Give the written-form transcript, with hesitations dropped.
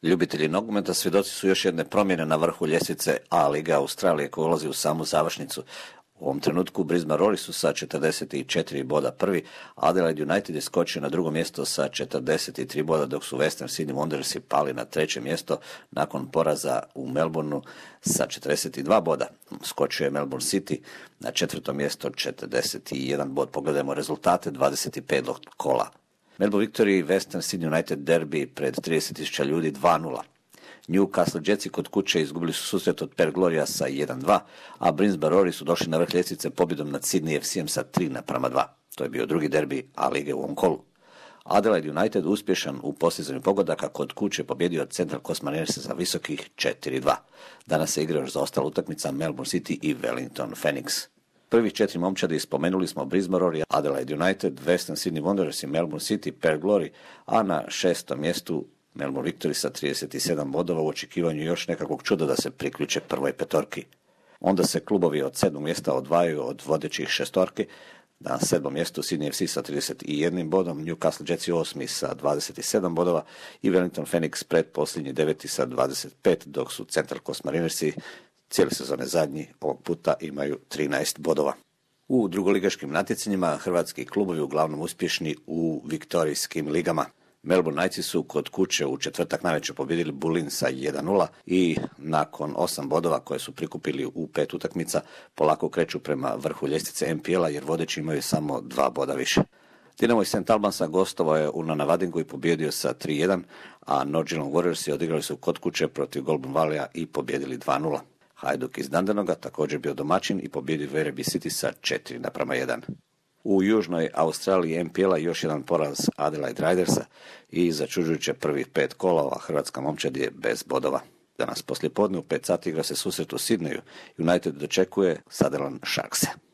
Ljubitelji nogometa svjedoci su još jedne promjene na vrhu ljestvice A lige Australije koja ulazi u samu završnicu. U ovom trenutku Brisbane Roar su sa 44 boda prvi, Adelaide United je skočio na drugo mjesto sa 43 boda, dok su Western Sydney Wanderersi pali na treće mjesto nakon poraza u Melbourneu sa 42 boda. Skočio je Melbourne City na četvrto mjesto 41 bod. Pogledajmo rezultate 25. kola. Melbourne Victory Western Sydney United derby pred 30.000 ljudi 2-0. Newcastle Jetsi kod kuće izgubili su susret od Perth Gloria sa 1-2, a Brisbane Roar su došli na vrh ljestvice pobjedom nad Sydney FC-em sa 3-2. To je bio drugi derbi A lige u ovom kolu. Adelaide United uspješan u postizanju pogodaka kod kuće pobjedio od Central Coast Marinersa za visokih 4-2. Danas se igra još zaostala utakmica Melbourne City i Wellington Phoenix. Prvih 4 momčadi spomenuli smo Brisbane Roar, Adelaide United, Western Sydney Wanderers i Melbourne City, Perth Glory, a na 6. mjestu Melbourne Victory sa 37 bodova u očekivanju još nekakvog čuda da se priključe prvoj petorki. Onda se klubovi od 7. mjesta odvajaju od vodećih šestorki. Na 7. mjestu Sydney FC sa 31 bodom, Newcastle Jetsi 8. sa 27 bodova i Wellington Phoenix predposljednji 9. sa 25, dok su Central Coast Marinersi cijele sezone zadnji ovog puta imaju 13 bodova. U drugoligaškim natjecanjima hrvatski klubovi uglavnom uspješni u viktorijskim ligama. Melbourne Knightsi su kod kuće u četvrtak navečer pobjedili Bullin sa 1-0 i nakon 8 bodova koje su prikupili u 5 utakmica polako kreću prema vrhu ljestvice MPL-a jer vodeći imaju samo 2 boda više. Dinamo iz St. Albansa gostovao je u Nanavadingu i pobjedio sa 3-1, a North Geelong Warriorsi odigrali su kod kuće protiv Goulburn Valleya i pobjedili 2-0. Hajduk iz Dundanoga također bio domaćin i pobjedio Werribee City sa 4-1. U južnoj Australiji MPL-a još jedan poraz Adelaide Ridersa i začuđujuće prvih 5 kola, hrvatska momčad je bez bodova. Danas poslijepodne u 5 sati igra se susret u Sidneju. United dočekuje Sutherland Sharkse.